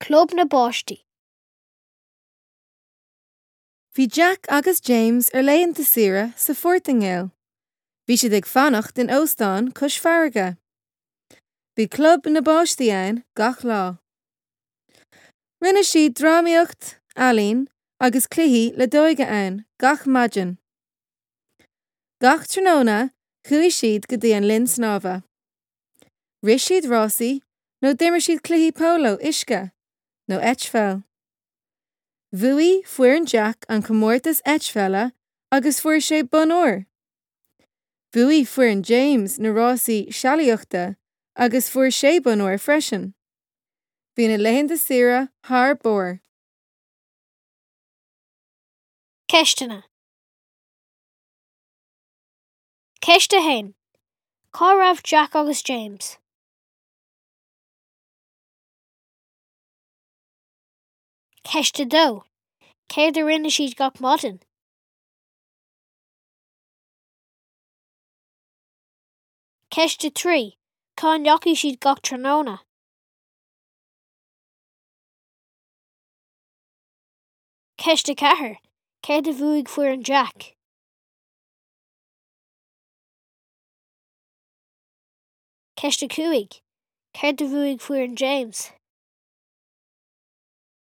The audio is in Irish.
Club na bPáistí. Bhí Jack agus James ar laethanta saoire sa Phortaingéil. Bhí siad ag fanacht in óstán cois farraige. Bhí club na bpáistí ann gach lá. Rinne siad drámaíocht, ealaín agus cluichí leadóige ann gach maidin. Gach tráthnóna chuaigh siad go dtí an linn snámha. Rith siad rásaí nó d'imir siad cluichí póló uisce nó eitpheil. Bhuaigh foireann Jack an comórtas eitpheile agus fuair sé bonn óir. Bhuaigh foireann James na rásaí sealaíochta agus fuair sé bonn óir freisin. Bhí na laethanta saoire thar barr. Ceisteanna. Ceist 1. Cá raibh Jack agus James? Ceist 2. Céard a rinne siad gach maidin? Ceist 3. Cá ndeachaigh siad gach tráthnóna? Ceist 4. Céard a bhuaigh foireann Jack? Ceist 5. Céard a bhuaigh foireann James?